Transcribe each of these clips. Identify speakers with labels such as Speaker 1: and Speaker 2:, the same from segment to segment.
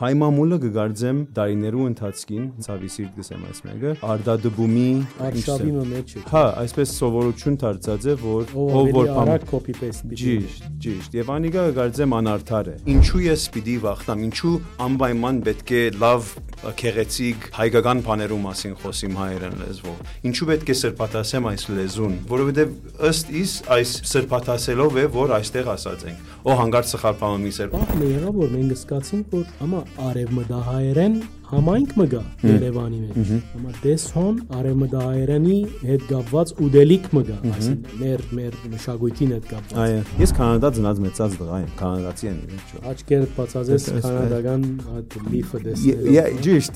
Speaker 1: հայ մամուլը գգարձեմ դարիներու ընթացքին ցավի սիրտ գսեմ այս մեկը արդադբումի
Speaker 2: արշավի մեջ է
Speaker 1: հա այսպես սովորություն դարձած է որ
Speaker 2: ով որ արագ copy paste
Speaker 1: ճիշտ եւ անիկա գգարձեմ անարդար է ինչու ես պիտի վախտամ ինչու անպայման պետք է լավ քեղեցիկ հայկական բաներու մասին խոսիմ հայերեն լեզվով ինչու պետք է սրբաթասեմ այս լեզուն որովհետեւ ըստ իս այս սրբաթասելով է որ այստեղ ասած ենք օ հանգարց սխալ բան մի սեր
Speaker 2: բախ մի եղավ որ մենք սկացինք որ ամա արևմտահայերեն համայնք մգա Երևանի մեջ ամա դեսհոն արևմտահայերենի հետ կապված ուդելիք մգա այսինքն մեր մշակույթին հետ կապված
Speaker 1: այո ես կանադա ծնած մեծած դղա եմ կանադացի եմ ինչու
Speaker 2: աչքերդ բացածես կանադական այդ լիֆը դեսնել
Speaker 1: ճիշտ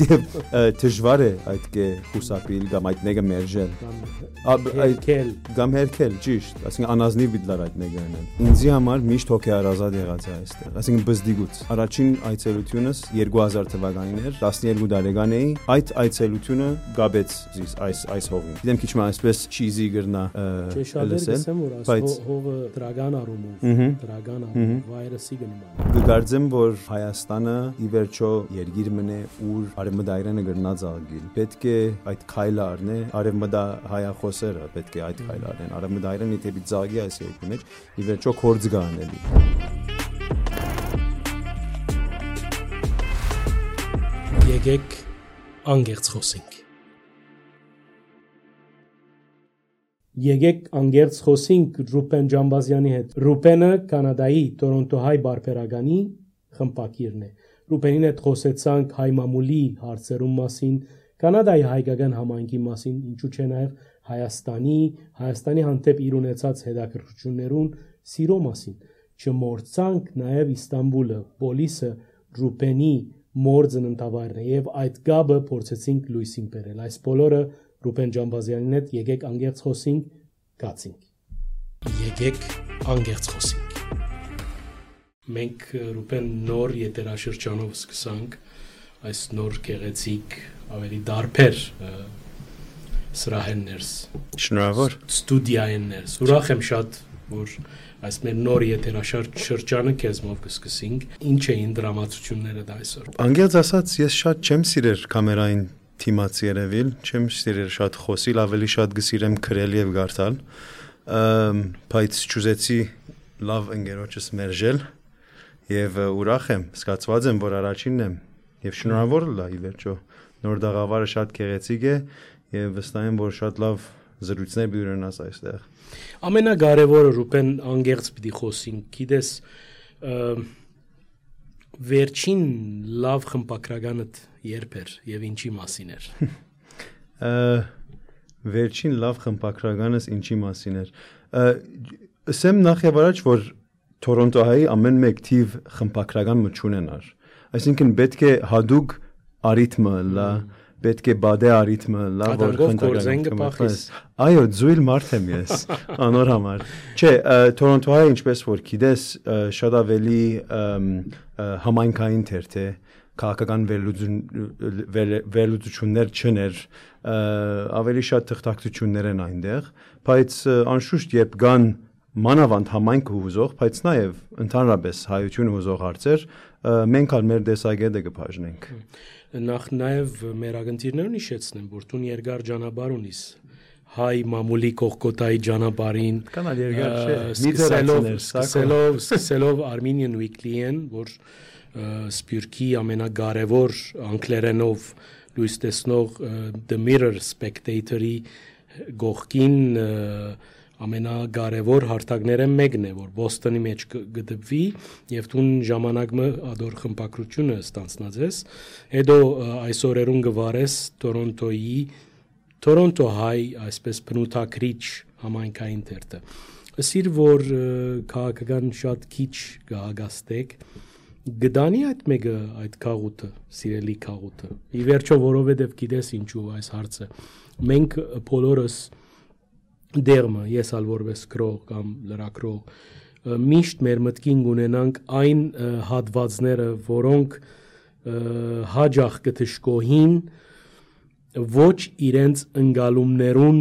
Speaker 1: դժվար է այդ կե խուսափիլ կամ այդ նեգը մերժել կամ հերքել ճիշտ այսինքն անազնիվ բիդլար այդ նեգը ինձի համար միշտ հոգի արազատ եղած է այստեղ այսինքն բզդիգուց առաջին այցելությունս 2000 թվականին էր 12 տարեկան էի այդ այցելությունը գաբեց այս հողին գիտեմ քիչ մ այսպես չիզի գրնա
Speaker 2: լսեմ որ այս հողը դրական արումով վայրսի գնում
Speaker 1: գգարձեմ որ Հայաստանը ի վերջո երկիր մնե ուր արևմտայրենը գրնած աղգիլ պետք է այդ քայլը առնե արևմտահայախոսերը պետք է այդ քայլը առնեն արևմտայրենի դեպի ծաղի այս երկու մեջ ի վերջո կորձ գանելի
Speaker 2: Եկեք անգերց խոսենք Եկեք անգերց խոսենք Ռուպեն Ջամբազյանի հետ Ռուպենը կանադայի Տորոնտոհայ բարբերականի խմբակիրն է Ռուպենին հետ խոսեցանք հայ մամուլի հարցերում մասին կանադայի հայկական համայնքի մասին ինչու չէ նաև Հայաստանի հանդեպ իր ունեցած հետաքրքրություններուն սիրո մասին չմոռցանք նաև Իստանբուլը պոլիսը Ռուպենի մոր ծննդավայրն է եւ այդ գաբը փորձեցինք լույսին բերել այս բոլորը Ռուպեն Ջամբազյանին հետ եկեք անգերց խոսենք գացինք եկեք անգերց խոսենք մենք Ռուպեն նոր եթերաշրջանով սկսանք այս նոր գեղեցիկ ավելի դարբեր սրահեններս
Speaker 1: շնորհավոր
Speaker 2: ստուդիաեններս ուրախ եմ շատ որ այս մեր նոր եթերաշրջանը քեզմով կսկսենք ինչ էին դրամատուրգությունները դա այսօր
Speaker 1: անգերց ասած ես շատ չեմ սիրեր կամերային թիմաց երևիլ չեմ սիրեր շատ խոսիլ ավելի շատ գսիրեմ քրել եւ գարտալ բայց ճուզեցի լավ ընկերոջս մերժել եւ ուրախ եմ զգացված եմ որ առաջինն եմ եւ շնորհավոր լա ի վերջո նոր դաղավարը շատ գեղեցիկ է եւ վստահ եմ որ շատ լավ զրույցներ պիտի ունենաս այստեղ
Speaker 2: ամենակարևորը Ռուպեն անգերց պիտի խոսենք գիտես վերջին լավ խմբակրականդ երբ էր եւ ինչի մասին էր
Speaker 1: վերջին լավ խմբակրականս ինչի մասին էր ասեմ նախ եւ առաջ որ Տորոնտոյի ամեն մեկ թիվ խմբակրական մչունենար այսինքն պետք է հadoop արիթմը լա պետք է բադե արիթմը լա որ
Speaker 2: խնդրական
Speaker 1: այո զույլ մարդ եմ ես անոր համար չէ Տորոնտոյի ինչպես որ գիտես շատ ավելի համայնքային թերթ է քաղաքական վերլուծություններ չներ ավելի շատ թղթակցություններ են այնտեղ բայց անշուշտ երբ կան մանավանդ համայնքը հուզող բայց նաև ընդհանրապես հայությունը հուզող հարցեր մենք ալ մեր դեսագետը կբաժնենք
Speaker 2: նախ նաև մեր ագընտիրներուն հիշեցնեմ որ դու երկար ճանապարհ ունիս հայ մամուլի կողքոտայի ճանապարհին
Speaker 1: կանալ երկար չէ
Speaker 2: սկսելով Armenian Weekly-ն որ Սպյուրքի ամենակարևոր անգլերենով լույս տեսնող The Mirror Spectator-ի գողքին ամենակարևոր հարթակները մեկն է որ Բոստոնի մեջ գտնվի եւ դու ժամանակը ադոր խմբակրությունը ստանցնած ես հետո այս օրերուն գվարես Տորոնտոյի Toronto High այսպես բնութագրիչ համայնքային թերթը ասիր որ քաղաքական շատ քիչ գահագաստեք գդանի այդ մեկը այդ քաղուտը սիրելի քաղուտը ի վերջո որովհետև գիտես ինչու այս հարցը մենք բոլորս դերմը ես ալ որպես քրող կամ լրակրող միշտ մեր մտքին ունենանք այն հատվածները որոնք հաջող կթշկոհին ոչ իրենց ընկալումներուն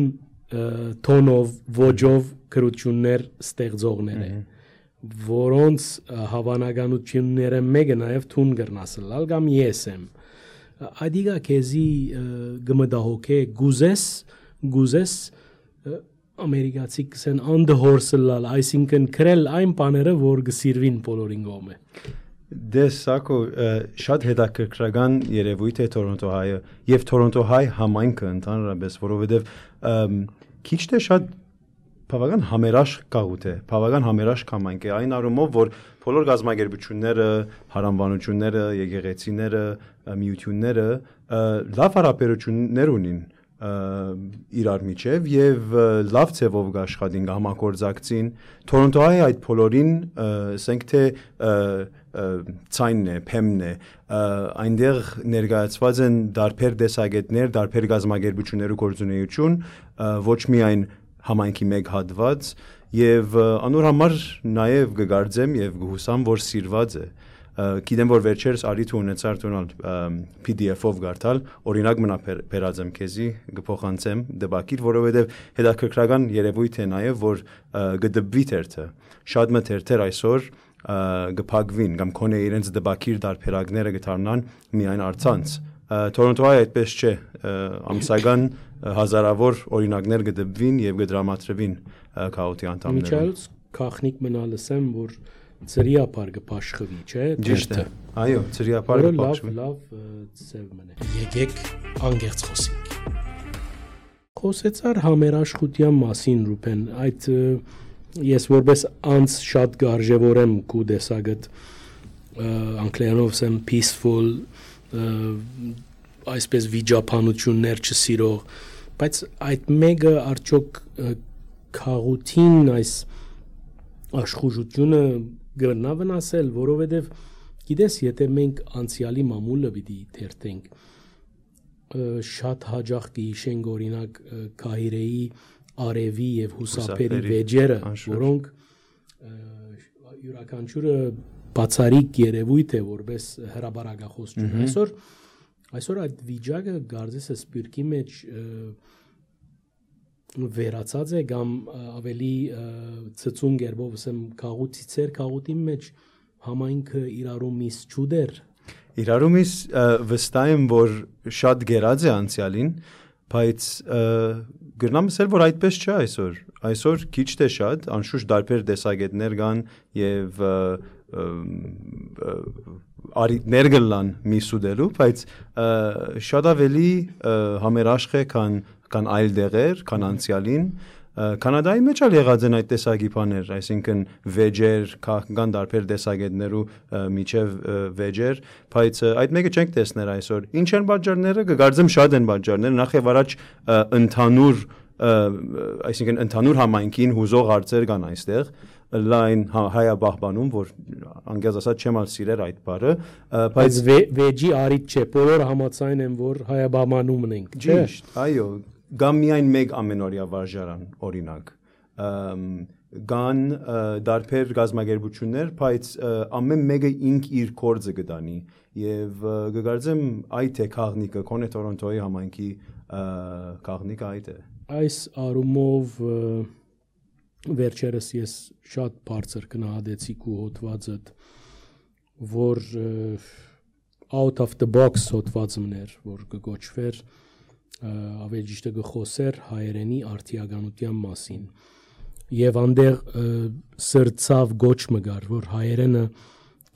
Speaker 2: տոնով ոճով քրություններ ստեղծողներ են որոնց հավանականությունները մեկը նաև թուն գրնասլալ կամ ես եմ այդիգա քեզի գմդահոքե գուզես ամերիկացի կսեն on the horse լալ այսինքն քրել այն բաները որ գսիրվին բոլորին գոմե
Speaker 1: Դες սակո շատ հետաքրքրական երևույթ է Թորոնտո հայը եւ Թորոնտո հայ համայնքը ընդհանրապես որովհետեւ քիչ թե շատ բավական համերաշխ գաղութ է բավական համերաշխ համայնք է այն առումով որ բոլոր գազագերբությունները հարանվանությունները եկեղեցիները միությունները լավ հարաբերություններ ունին իրար միջև եւ լավ ցևով գաշխատին համագործակցին Թորոնտոյի այդ բոլորին ասենք թե ցայնն է փեմն է այնտեղ ներկայացված են դարբեր դեսագետներ դարբեր գազագերբություններու գործունեություն ոչ միայն համայնքի մեկ հատված եւ անոր համար նաեւ կգարձեմ եւ գուհուսամ որ սիրված է Գիտեմ որ վերջերս արիթ ունեցար տոնալ PDF-ով գարտալ օրինակ մնա բերածեմ քեզի գփոխանցեմ դեպակիր որովհետեւ հետաքրքրական երևույթ է նաեւ որ գդբվի թերթը շատ մթերթեր այսօր գփակվին կամ կոնե իրենց դեպակիր դարբերակները գտարնան միայն արցանց Թորոնտոյի այդպես չէ ամսական հազարավոր օրինակներ գդբվին եւ գդրամատրվին քաոթի անդամները
Speaker 2: Միչայելս քախնիկ մնալսեմ որ Ծրիապար գպաշխվի, չէ՞,
Speaker 1: դերթը։ Այո, ծրիապարը գպաշխվի։
Speaker 2: Լավ ծև մնե։ Եկեք անգերց խոսենք։ Խոսեցար համերաշխության մասին Ռուբեն, այդ ես որպես անց շատ գարժևորեմ քու դեսագդ անգլերենով ասեմ peaceful այսպես վիճապանություններ չսիրող, բայց այդ մեկը արդյոք խաղութին այս աշխուժությունը գրնա վնասել, որովհետև գիտես, եթե մենք անցյալի մամուլը պիտի թերթենք, շատ հաճախ կհիշենք օրինակ Կահիրեի արևի եւ հուսապերի վեճերը, որոնք յուրաքանչյուրը բացառիկ երևույթ է որպես հրաբարակախոսություն։ Այսօր այդ վիճակը գարձես է սպիրկի մեջ վերացած է կամ ավելի ծծուն գերբով ասեմ քաղուտիցեր քաղուտի մեջ համայնքը իրարումից ճուդեր
Speaker 1: իրարումից վստահ եմ որ շատ գերած է անցյալին բայց գրնամ ասել որ այդպես չէ այսօր քիչ թե շատ անշուշտ դարբեր տեսակետներ կան եւ արիտներ գլան միսուդելու բայց շատ ավելի համերաշխ է քան այլ դեղեր, քան անցյալին, Կանադայի մեջ ալ եղած են այդ տեսակի բաներ, այսինքն վեճեր, կան դարբեր տեսակետներու միջև վեճեր, բայց այդ մեկը չենք տեսներ այսօր։ Ինչ են պատճառները, կգարձեմ շատ են պատճառները, նախ եւ առաջ ընդհանուր, այսինքն ընդհանուր համայնքին հուզող հարցեր կան այստեղ, լայն հայաբախբանում, որ անգամ ասած չեմ ալ սիրեր այդ բառը,
Speaker 2: բայց վեճի արիտ չէ, բոլորը համաձայն են, որ հայաբախմանում ենք, չէ՞։
Speaker 1: Ճիշտ, այո, Գամ միայն մեկ ամենօրյա վարժարան օրինակ գան դարբեր գազագերբություններ բայց ամեն մեկը ինք իր կորձը գտանի եւ գկարձեմ այդ է քաղնիկը կոնե Թորոնտոյի համայնքի քաղնիկը այդ է
Speaker 2: այս արումով վերջերս ես շատ բարձր գնահատեցի քու հոդվածդ որ out of the box հոդվածներ որ կգոչվեր ավելի ճիշտ գխոսեր հայերենի արտիականության մասին եւ անդեղ սրծավ գոչ մգար որ հայերենը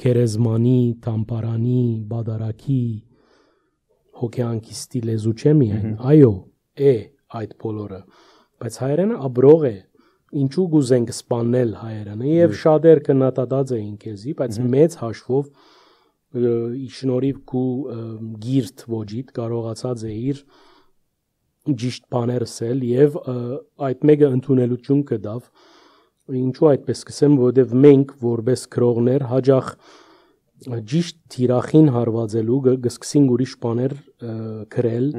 Speaker 2: քերեզմանի, տամպարանի, բադարակի հոգեանքի լեզու չէ միայն այո է այդ բոլորը բայց հայերենը աբրող է ինչու գուզենք սպանել հայերենը եւ շատեր կնատադած էին քեզի բայց մեծ հաշվով շնորհիվ քու գիրտ ոճիտ կարողացած է իր ճիշտ բաներ ասել եւ այդ մեկը ընդունելություն կդավ ինչու այդպես կսեմ որովհետեւ մենք որպես քրողներ հաջող ճիշտ թիրախին հարվածելու գսկսին ուրիշ բաներ գրել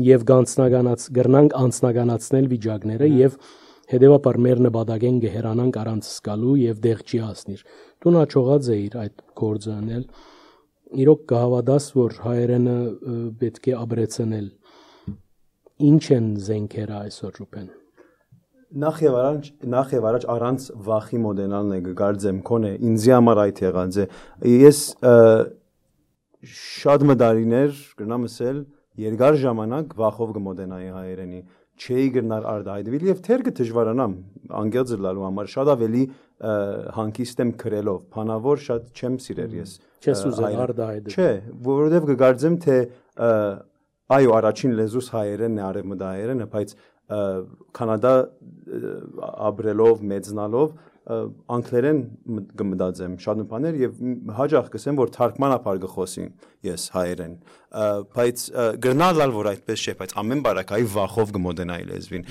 Speaker 2: եւ գրանք անցնականացնել վիճակները եւ հետեւաբար մեր նպատակեն գերանանք առանց սկալու եւ դեղ չի հասնիր դու հաջողած էիր այդ գործը անել իրոք կհավատաս որ հայերենը պետք է ապրեցնել Ինչ են զենքերը այսօր Ռուբեն
Speaker 1: նախ եւ առաջ առանց վախի մոդելալն է գարձեմ կոնե ինձի համար այդ եղած է ես շատ մդարիներ գնամ ասել երկար ժամանակ վախով կմոդենայի հայերենի չէի գնար արդայդվել եւ թերքը դժվարանամ անգելձ լալու համար շատ ավելի հանկիստ եմ քրելով բանավոր շատ չեմ սիրել ես
Speaker 2: չես ուզել արդայդել
Speaker 1: չէ որովհետեւ կգարձեմ թե այո առաջին լեզուս հայերենն է արևմտահայերենը բայց Կանադա ապրելով մեծնալով անգլերեն կմտածեմ շատ բաներ եւ հաջող կսեմ որ թարգմանաբար կխոսին ես հայերեն բայց գրնալալ որ այդպես չէ բայց ամեն բարակայի վախով կմոդենայի լեզվին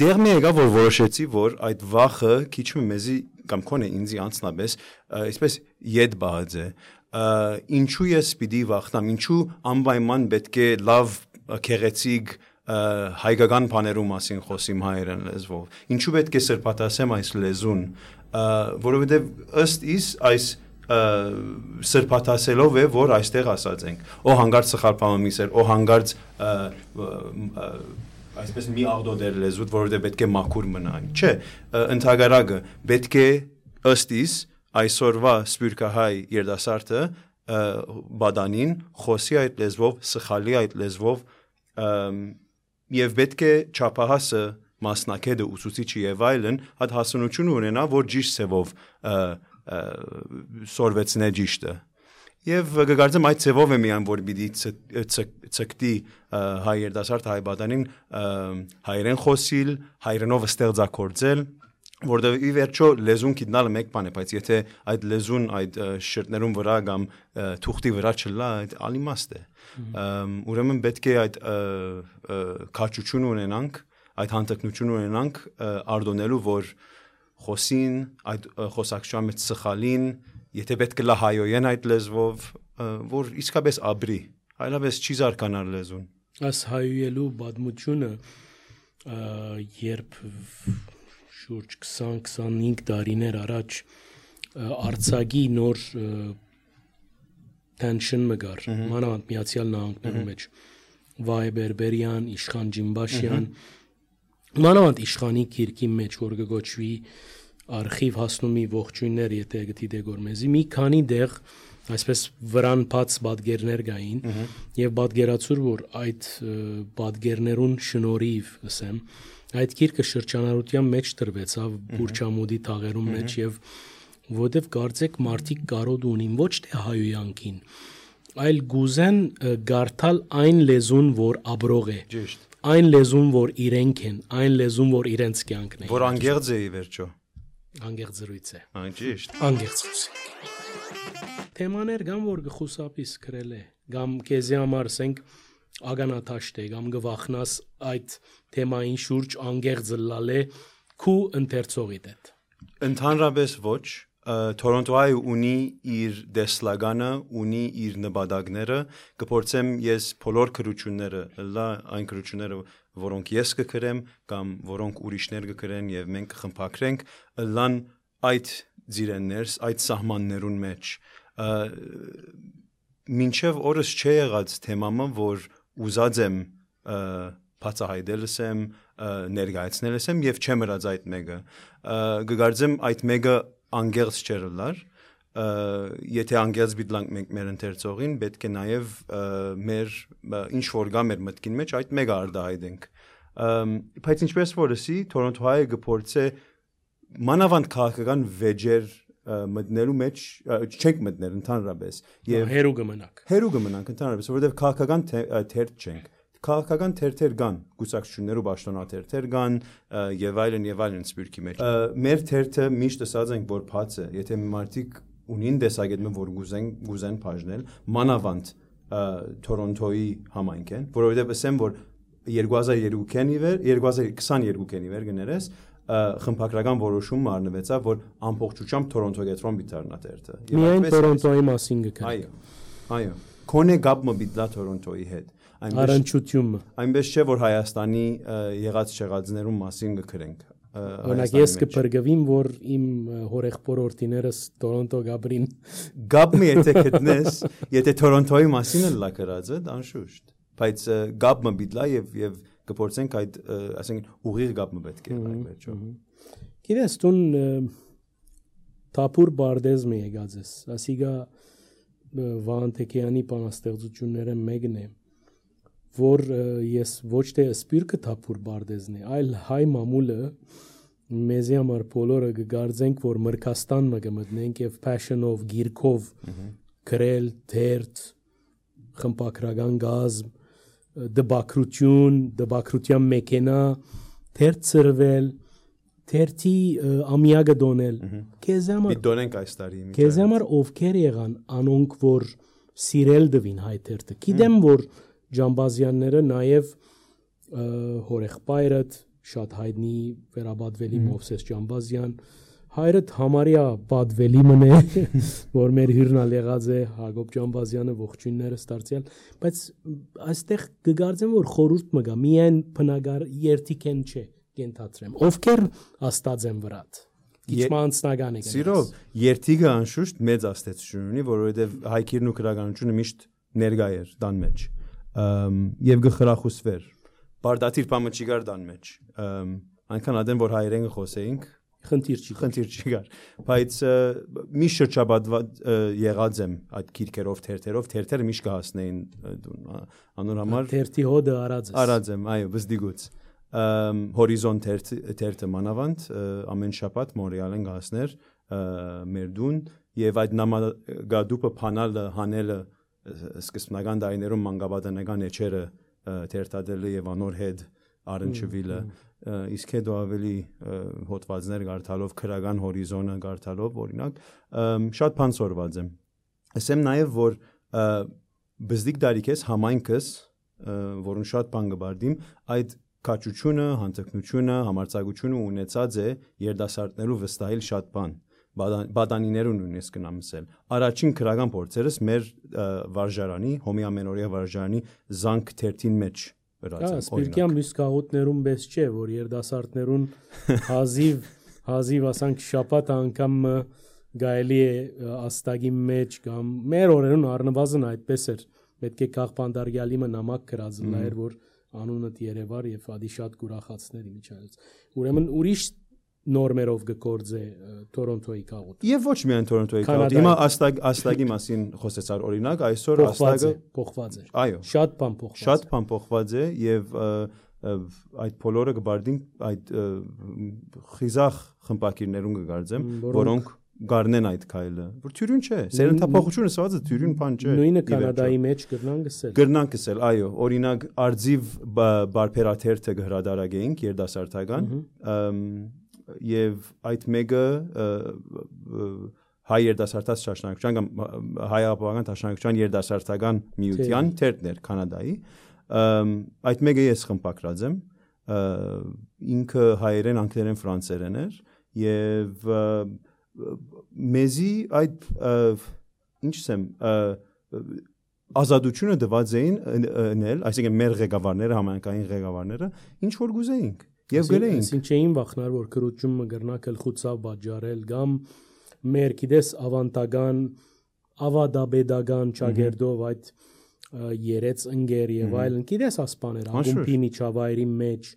Speaker 1: դեռ մի եկա որ որոշեցի որ այդ վախը քիչ մեզի կամ կոնե ինձի անցնաբես այսպես յետ բահած է ինչու ես պիտի վախնամ ինչու անպայման պետք է լավ քեղեցիկ հայկական բաներու մասին խոսիմ հայերեն լեզվով ինչու պետք է սրբատասեմ այս լեզուն որովհետև ըստ իս այս սրբատասելով է որ այստեղ ասած ենք օ հանգարց սխալփամը միսեր օ հանգարց այսպես մի աղդոդեր լեզուտ որովհետև պետք է մաքուր մնա չէ ընդհակառակը պետք է ըստ իս այսօրվա սպյուրքահայ երդասարտը բադանին խոսի այդ լեզվով սխալի այդ լեզվով Եվ պետք է չափահասը մասնակետը ուսուցիչի եւ այլն հատ հասունություն ունենա որ ճիշտ ցևով սորվեցնե ճիշտը եւ կգարձեմ այդ ցևով է միան որ պիտի ցկտի հայ երդասարդ հայ բադանին հայերեն խոսիլ հայերենով ստեղծագործել որտեղ ի վերջո լեզուն գիտնալը մեկ բան է բայց եթե այդ լեզուն այդ շրտներուն վրա կամ թուղթի վրա չլա այդ ալիմաստ է ուրեմն պետք է այդ քաչություն ունենանք այդ հանդգնություն ունենանք արդոնելու որ խոսին այդ խոսակցության մեջ սխալին եթե պետք է լա հայոյեն այդ լեզվով որ իսկապես ապրի այլապես չի զարգանալ լեզուն
Speaker 2: այս հայոյելու բադմությունը երբ շուրջ 20-25 տարիներ առաջ արցագի նոր tension մգար մանավանդ Միացյալ Նահանգներում մեջ Վայ Բերբերյան, Իշխան Ջիմբաշյան մանավանդ Իշխանի քիրքի մեջ որ գոչվի արխիվ հասնումի ողջույններ եթե գտի դեգորմեզի մի քանի դեղ այսպես վրան բաց բադգերներ գային եւ բադգերացուր որ այդ բադգերներուն շնորհիվ ասեմ այդ քիրքը շրջանառության մեջ տրվեցավ Բուրչամուդի թաղերում մեջ եւ որտեվ կարծեք մարդիկ կարոտ ունին ոչ թե հայոյանքին այլ գուզեն գարթալ այն լեզուն որ աբրող է
Speaker 1: ճիշտ
Speaker 2: այն լեզուն որ իրենք են այն լեզուն որ իրենց կյանքն է
Speaker 1: որ անգերձ է ի վերջո
Speaker 2: անգերձ զրույց է
Speaker 1: այն ճիշտ
Speaker 2: անգերձ թեմաներ գամ որ գխուսապիս գրել է գամ քեզի համար ասենք ագանաթաշտ է գամ գվախնաս այդ թեմային շուրջ անգերձ լալե քու ընթերցողիդ հետ
Speaker 1: ընդհանրապես ոչ Թորոնտոյի ունի իր դեսլագանը, ունի իր նպատակները, կփորձեմ ես բոլոր քրությունները, լա այն քրությունները, որոնք ես կգրեմ կամ որոնք ուրիշներ կգրեն եւ մենք կխմբակրենք, լան այդ ձիրեններս, այդ սահմաններուն մեջ։ Մինչև օրս չի եղած թեմամը, որ ուզած եմ բացահայտելս եմ, ներկայացնելս եմ եւ չեմ հրած այդ մեկը։ Գկարձեմ այդ մեկը անգերձ չերլար եթե անգերձ բիդլանք մենք մեր ընթերցողին պետք է նաև մեր ինչ որ գա մեր մտքին մեջ այդ մեկը արդահայտենք բայց ինչպես որ ասի Թորոնտոյի գործը մանավանդ քաղաքական վեճեր մտնելու մեջ չենք մտնել ընդհանրապես եւ
Speaker 2: հերու կմնանք
Speaker 1: ընդհանրապես որովհետեւ քաղաքական թերթ չենք քաղաքական թերթեր կան, գուսակցություններ ու պաշտոնաթերթեր կան եւ այլն սպյուրքի մեջ։ Մեր թերթը միշտ ասած ենք, որ բաց է, եթե մարդիկ ունին տեսակետը, որ գուզեն բաժնել, մանավանդ Թորոնտոյի համայնք են, որովհետեւ ասեմ, որ 2022-ի վեր գներես խմբակրական որոշում մարնվեցավ, որ ամբողջությամբ Թորոնտո գետրոն բիթարնա թերթը։
Speaker 2: Միայն Թորոնտոյի մասին գկնենք։
Speaker 1: Այո։ Քոնե գաբը բիդլա Թորոնտոյի հետ։
Speaker 2: Առնչությունը
Speaker 1: այնպես չէ որ Հայաստանի եղած չեղածներում մասին գկրենք
Speaker 2: օրինակ ես կփրկվիմ որ իմ հորեղբոր օրտիներս Թորոնտո գաբրին
Speaker 1: գաբը եթե գտնես եթե Թորոնտոյի մասին լա գրածը անշուշտ բայց գաբը բիդլա եւ կփորձենք այդ ասենք ուղիղ գապը պետք է վերջո։
Speaker 2: Գիտես տուն թափուր բարդեզմ է եկած ես, ասիգա Վահան Թեքեյանի բանաստեղծությունները մեկն է, որ ես ոչ թե սպիրկը թափուր բարդեզն է, այլ հայ մամուլը մեզի համար բոլորը կգարձենք, որ Մրկաստան կմտնենք եւ passion-ով, գիրքով գրել, թերթ, խմբակրական գազմ, դբակրության մեքենա, թերթ ծրվել, թերթի ամիագը դոնել, քեզ համար
Speaker 1: դոնենք այս տարի։
Speaker 2: Քեզ համար ովքեր եղան անոնք, որ սիրել դվին հայ թերթը։ Գիտեմ, որ Ջամբազյանները նաև հորեղբայրդ շատ հայտնի վերաբադվելի Մովսես Ջամբազյան, հայրդ համարյա պատվելի մնե, որ մեր հյուրնալ եղած է Հակոբ Ջամբազյանը, ողջույններս դարձյալ, բայց այստեղ կգարձեմ, որ խորհուրդ մգա, միայն բնագար երթիկեն չէ, կենթացրեմ, ովքեր աստած են վրատ, իչմանցնական է գնաց։
Speaker 1: Սիրով, երթիկը անշուշտ մեծ աստեցություն ունի, որովհետև հայքիրն ու գրականությունը միշտ ներկա էր դան մեջ, և գխրախուսվեր, բարդաթիր պամը չի գար դան մեջ, այնքան ադեն, որ հայերեն խոսեինք, խնդիր չի գար, բայց միշտ շրջաբադված եղած եմ այդ գիրքերով, թերթերով, թերթերը միշտ կհասնեին անոր համար
Speaker 2: թերթի հոդը
Speaker 1: արած եմ, այո, բզդիգուց հորիզոն թերթը մանավանդ ամեն շաբաթ Մոնրեալ են կհասներ մեր դուն եւ այդ նամագադուպը փանալը հանելը սկզբնական դարիներում մանկաբադանական էջերը թերթադելը եւ անոր հետ առնչվելը իսկ հետո ավելի հոդվածներ գարթալով քրական հորիզոնը գարթալով օրինակ շատ բան սորված եմ ասեմ նաև որ բզդիկ դարիքես համայնքս որուն շատ բան գբարդիմ այդ քաչությունը հանդգնությունը համարցակությունը ունեցած է երդասարտներու վստահել շատ բան բադանիներուն ունես կնամսել առաջին քրական փորձերս մեր վարժարանի հոմի ամենօրյա վարժարանի զանք թերթին մեջ
Speaker 2: Սպիրկյան մյուս կաղուտներում բես չէ, որ երդասարտներուն հազիվ ասանք շապատ անգամ գայելի է աստագի մեջ կամ մեր օրերուն առնվազն այդպես էր, պետք է կաղպանդարգյալիմը նամակ կրածլա էր, որ անունըտ երևար և ադի շատ կուրախացներ իմիջայլց։ Ուրեմն ուրիշ նորմերով գկործե Թորոնտոյի կաղուտ։
Speaker 1: Եվ ոչ միայն Թորոնտոյի կաղուտ, հիմա աստագի մասին խոսեցար օրինակ, այսօր աստագը
Speaker 2: փոխված է։
Speaker 1: Այո։ Շատ բան փոխված է եւ այդ բոլորը գբարդին այդ խիզախ խմբակիրներուն կգարձեմ, որոնք գարնեն այդ քայլը, որ թյուրին չէ, սերնդափոխությունը սվածը թյուրին բան չէ։
Speaker 2: Նույնը Կանադայի մեջ
Speaker 1: գրնան գսել, այո, օրինակ արձիվ բարբերաթերթը գհրադարագեինք երդասարտական եւ այդ մեկը հայ երդասարտած շարժնակցության կամ հայ ապահովական շարժնակցության երդասարտական միության թերթներ Կանադայի այդ մեկը ես խմբակրած եմ ինքը հայերեն անգլերեն ֆրանսերեն էր եւ մեզի այդ ինչ ասեմ ազատությունը դված էին ընել այսինքն մեր ղեկավարները համայնքային ղեկավարները ինչ որ գուզեինք Եվ գրեինք։
Speaker 2: Այսինքն չէին վախնար, որ քրոջումը գրնակել խուցավ բաժարել կամ մեր գիտես ավանտական, ավադաբեդական ճագերդով այդ երեց ընկեր եւ այլն, գիտես ասպաներ, ակումբի միջավայրի մեջ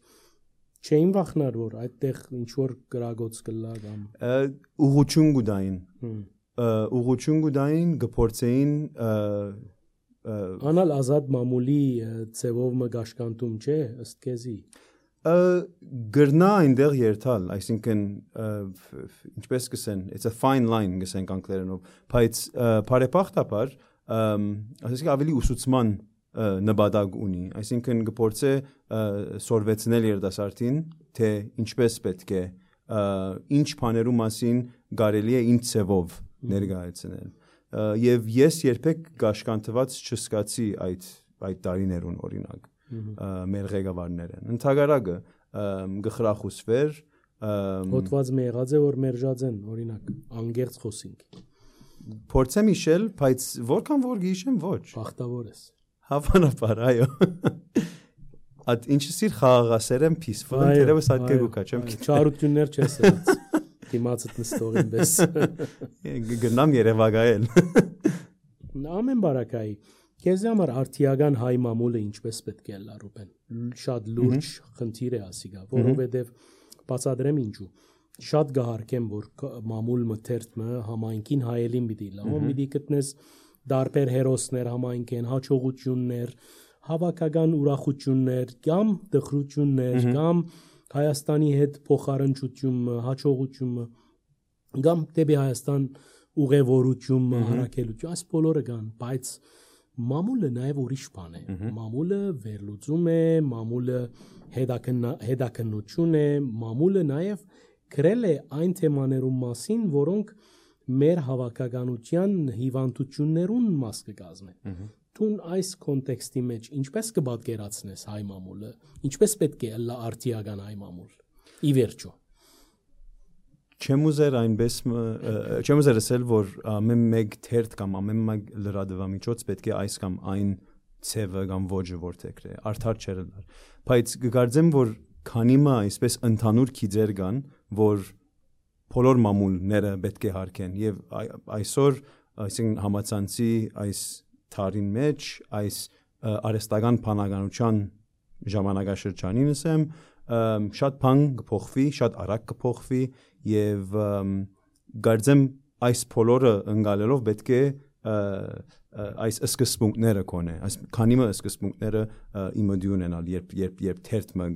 Speaker 2: չէին վախնար, որ այդտեղ ինչ որ գրագոց կլա կամ
Speaker 1: ուղղություն գուդային գփորձեին
Speaker 2: անալ ազատ մամուլի ծևով մգաշկանտում չէ ըստ քեզի
Speaker 1: գրնա այնտեղ երթալ, այսինքն ինչպես կսեն, it's a fine line գսենք անգլերենով, բայց բարեբախտաբար, ասեցիք ավելի ուսուցման նպատակ ունի, այսինքն կփորձե սորվեցնել երիտասարդին, թե ինչպես պետք է, ինչ բաներու մասին կարելի է ինչ ցևով ներկայացնել, եւ ես երբեք գաշկանտված չզգացի այդ տարիներուն օրինակ մեր ղեկավարներն ընդհանրակը գխրախուսվեր
Speaker 2: հոտված մի եղած է որ մերժած են օրինակ անգերց խոսինք
Speaker 1: փորձեմ իշել բայց որքան որ գիշեմ ոչ
Speaker 2: բախտավոր ես
Speaker 1: հավանաբար այո այդ ինչ սիր խաղաղասերեմ peaceful դերևս այդ կգուկա չեմ
Speaker 2: չարություններ չես ելած դիմացդ նստողին բես
Speaker 1: գնամ Երևանայել
Speaker 2: ամեն բարակայի Քեզ համար արդիական հայ մամուլը ինչպես պետք է լա Ռուբեն։ Շատ լուրջ խնդիր է ասիգա, որովհետև բացադրեմ ինչու։ Շատ գահարկեմ, որ մամուլ մթերթը համայնքին հայելին պիտի լա, ում պիտի գտնես դարբեր հերոսներ համայնքեն, հաջողություններ, հավաքական ուրախություններ, կամ դխրություններ, կամ Հայաստանի հետ փոխարինչությունը, հաջողությունը, կամ դեպի Հայաստան ուղևորությունը, հարակելություն, այս բոլորը կան, բայց մամուլը նաև ուրիշ բան է։ Մամուլը վերլուծում է, մամուլը հետաքննություն է, մամուլը նաև գրել է այն թեմաներում մասին, որոնք մեր հավաքականության հիվանդություններուն մաս կկազմեն։ Տուն այս կոնտեքստի մեջ ինչպես կպատկերացնես հայ մամուլը, ինչպես պետք է լա արդիական հայ մամուլ։ Ի վերջո
Speaker 1: Չեմ ուզեր ասել, որ ամեն մեկ թերթ կամ ամեն մեկ լրատվամիջոց պետք է այս կամ այն ցևը կամ ոճը որտեղը արդար չէր լար։ Բայց կգարձեմ, որ քանի մա այսպես ընդհանուր քիծեր կան, որ բոլոր մամուլները պետք է հարգեն եւ այսօր այսինքն համացանցի այս թարին մեջ այս արհեստական բանականության ժամանակաշրջանին ասեմ շատ բան կփոխվի, շատ արագ կփոխվի եւ գարձեմ այս բոլորը ընկալելով պետք է այս սկզբունքները կոնե, այս քանի մը սկզբունքները իմոդի ունենալ, երբ թերթը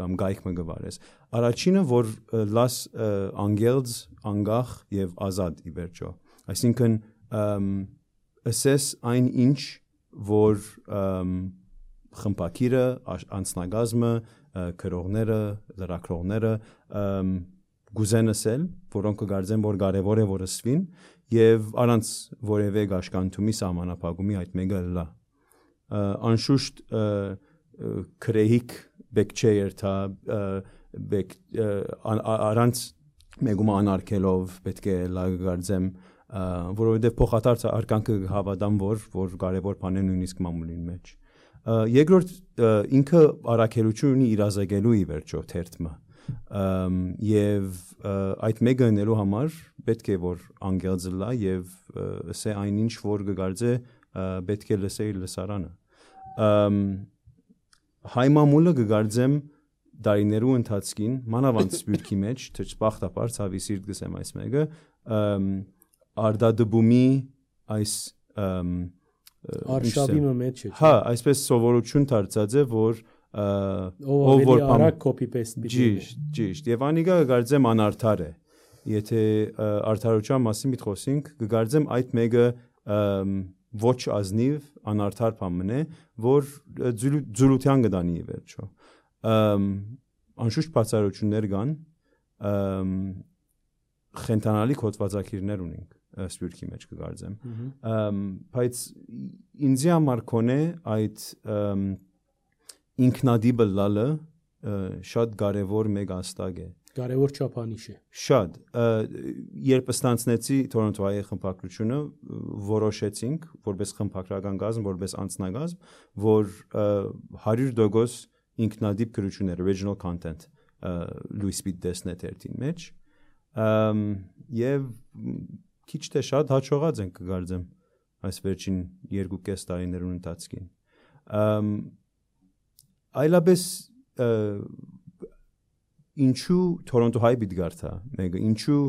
Speaker 1: կամ գայքը գվարես։ Առաջինը, որ լաս անգելց, անգախ եւ ազատ ի վերջո։ Այսինքն ասես այն ինչ, որ խմբակիրը, անձնագազմը, քրողները, լրագրողները գուզեն ասել, որոնք կգարձեն, որ կարևոր է որ ասվին եւ առանց որևէ գաշկանթումի սահմանափակումի այդ մեկը լա անշուշտ քրեհիկ բեկչեր թա առանց մեգում անարգելով պետք է լա գարձեմ որովհետեւ փոխադարձ արկանքը հավատամ որ կարևոր բան է նույնիսկ մամուլին մեջ երկրորդ ինքը առաքելություն ունի իրազեկելու ի վերջո թերթը եւ այդ մեկը նելու համար պետք է որ անգելձը լա եւ ասե այնինչ որ կգարձե պետք է լսեի լսարանը հայ մամուլը կգարձեմ դարիներու ընթացքին մանավանդ սպյուրքի մեջ թրջբախտապար ցավի սիրտ գսեմ այս մեկը արդադբումի այս
Speaker 2: արշավի մեջ է
Speaker 1: հա այսպես սովորություն դարձած է որ
Speaker 2: ով որ արագ copy paste
Speaker 1: ճիշտ եւ անիկա կգարձեմ անարդար է եթե արդարության մասին միտխոսենք կգարձեմ այդ մեկը ոչ ազնիվ անարդար բան է որ ձուլության կդանի ի վերջո անշուշտ բացառություններ կան խենթանալի կոծվածակիրներ ունենք սպյուրքի մեջ կգարձեմ բայց ինձի համար կոնե այդ ինքնադիպը լալը շատ կարևոր մեկ աստակ է
Speaker 2: կարևոր չափանիշ է
Speaker 1: շատ երբ ստանցնեցի Թորոնտոյի խմբակրությունը որոշեցինք որպես խմբակրական կազմ որպես անձնագազմ որ 100% ինքնադիպ գրություններ original content լույս պիտի տեսնե թերթին մեջ եւ քիչ թե շատ հաջողած ենք կգարձեմ այս վերջին 2.5 տարիներուն ընթացքին այլապես ինչու Թորոնտո հայ պիտի գարտա մեկը ինչու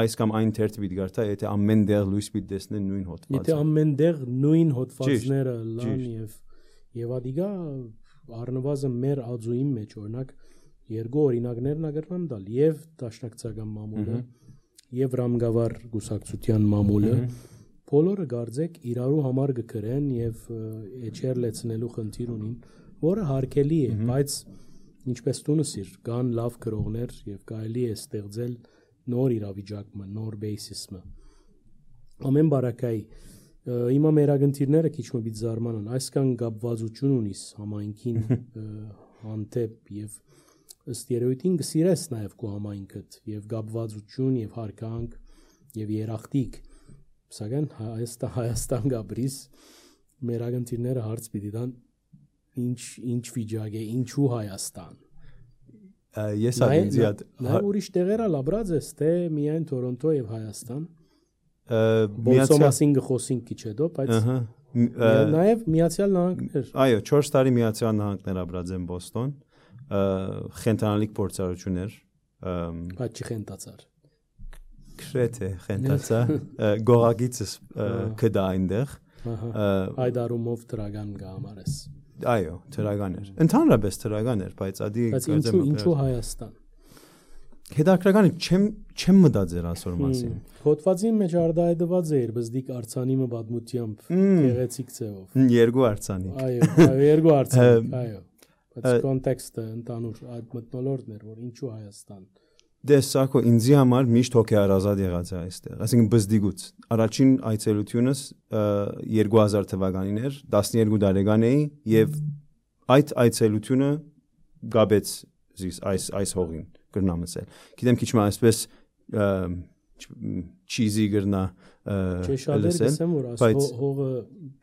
Speaker 1: այս կամ այն թերթ պիտի գարտա եթե ամեն դեղ լույս պիտի տեսնեն նույն հոդվածը
Speaker 2: եթե ամեն դեղ նույն հոդվածները լան եւ ադիգա առնվազն մեր ածուի մեջ օրինակ երկու օրինակներն ագրամ դալ եւ դաշնակցական մամուլը եւ ռամգավար գուսակցության մամուլը բոլորը գարձեք իրարու համար գկրեն եւ էջեր լեցնելու խնդիր ունին որը հարկելի է բայց ինչպես տունսիր կան լավ գրողներ եւ կարելի է ստեղծել նոր իրավիճակը նոր բեյսիսը ամեն բարակայի հիմա մեր ագընտիրները քիչ մը բիտ զարմանան այսքան գապվածություն ունիս համայնքին հանդեպ եւ ըստ երևույթին գսիրես նաեւ քո համայնքդ եւ գապվածություն եւ հարկանք եւ երախտիկ սակայն Հայաստան գաբրիս մեր ագընտիրները հարց պիտի տան ինչ վիճակ է ինչու Հայաստան
Speaker 1: ես ադինձիատ
Speaker 2: նա ուրիշ տեղերա լաբրած է թե միայն Թորոնտո եւ Հայաստան Բոլսոմասին գխոսին քիչ հետո բայց Նաև Միացյալ Նահանգներ։
Speaker 1: Այո, 4 տարի Միացյալ Նահանգներ ապրած եմ Բոստոն, խենթանալիք փորձառություններ,
Speaker 2: բայց չխենթացար։
Speaker 1: Քրեթե խենթացա, գողագիցս կդա այնտեղ։
Speaker 2: Այդ առումով տրագան գամարես։
Speaker 1: Այո, տրագան էր։ Ընդհանրապես տրագան էր, բայց ադի
Speaker 2: ինչու Հայաստան։
Speaker 1: Հետաքրքրական է, չեմ մտածել այսօր մասին։
Speaker 2: Հոդվածի մեջ արդայդված էր բզդիկ արցանիմը պատմությամբ գեղեցիկ ձևով։
Speaker 1: Երկու արցանի։
Speaker 2: Այո, երկու արցանի, այո։ Բայց կոնտեքստը ընդանուր այդ մթնոլորտն էր, որ ինչու Հայաստան։
Speaker 1: Դեսակո ինձի համար միշտ հոգեարազատ եղած է այստեղ, այսինքն բզդիգուց։ Առաջին այցելությունս 2000 թվականին էր, 12 տարեկան էի եւ այդ այցելությունը գաբեց այս հողին գրնամ ասել։ Գիտեմ քիչ մը այսպես cheesy գրնա
Speaker 2: լսել, գսեմ որ այս հողը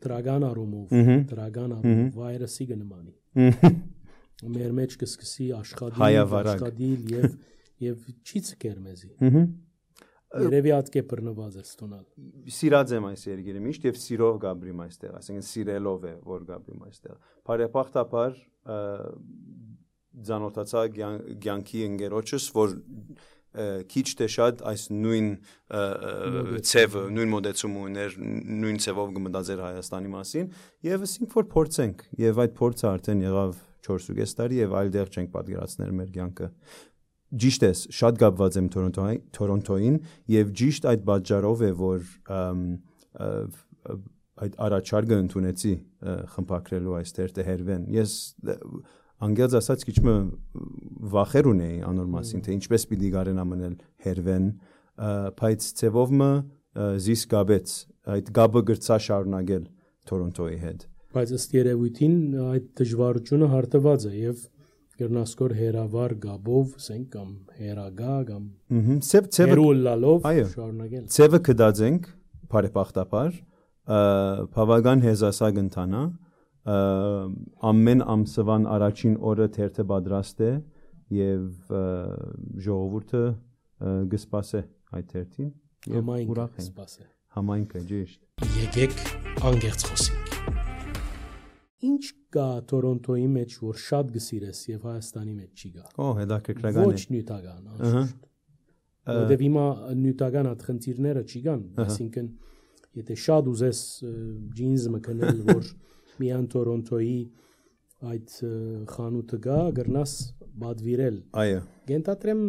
Speaker 2: դրագան առումով վայրսի գնմանի։ Մեր մեջ կսկսի աշխատել եւ չի ցկեր մեզի։ Երևի ատկե բռնված է ստոնալ։
Speaker 1: Սիրած եմ այս երկիրը միշտ եւ սիրով գաբրիմ այստեղ, այսինքն սիրելով է որ գաբրիմ այստեղ։ Բարեբախտաբար ձանոթացա ցանկի ընկերոջս, որ քիչ թե շատ այս նույն ցևը, նույն մոդեցումը ուներ, նույն ցևով գմտածեր Հայաստանի մասին եւ ասենք որ փորձենք եւ այդ փորձը արդեն եղավ 4.5 տարի եւ այլ դեղ չենք պատկերացնել մեր կյանքը։ Ճիշտ է, շատ կապված եմ Թորոնտոյին եւ ճիշտ այդ պատճառով է որ այդ առաջարկը ընդունեցի խմբակրելու այստեղ տերվեն։ Ես անգլիաց ասած քիչ մը վախեր ունեի անոր մասին, թե ինչպես պիտի գարեն ամնել հերվեն, բայց ցևով մը զիս գաբեց, այդ գաբը գրծա շարունակել Թորոնտոյի հետ։
Speaker 2: Բայց ըստ երևույթին այդ դժվարությունը հարթված է եւ գրնասկոր հերավար գաբով, ասենք կամ հերագա կամ հերուլալով շարունակել։
Speaker 1: Ցևը կդածենք բարեբախտաբար, բավական հեզասագ ընթանա, ամեն ամսվան առաջին օրը թերթը պատրաստ է եւ ժողովուրդը գսպասե այդ թերթին եւ ուրախ են։ Համայնքը ճիշտ։
Speaker 2: Եկեք անգերց խոսենք։ Ինչ կա Թորոնտոյի մեջ, որ շատ գսիրես եւ Հայաստանի մեջ չի գա։
Speaker 1: Հետաքրքրական է։
Speaker 2: Ոչ նյութական, անշուշտ։ Որտեւ հիմա նյութական այդ խնդիրները չի գան, այսինքն եթե շատ ուզես ջինզը մկնել, որ միան Թորոնտոյի այդ խանութը գա, գրնաս բադվիրել։
Speaker 1: Այո։
Speaker 2: Գենտատրեմ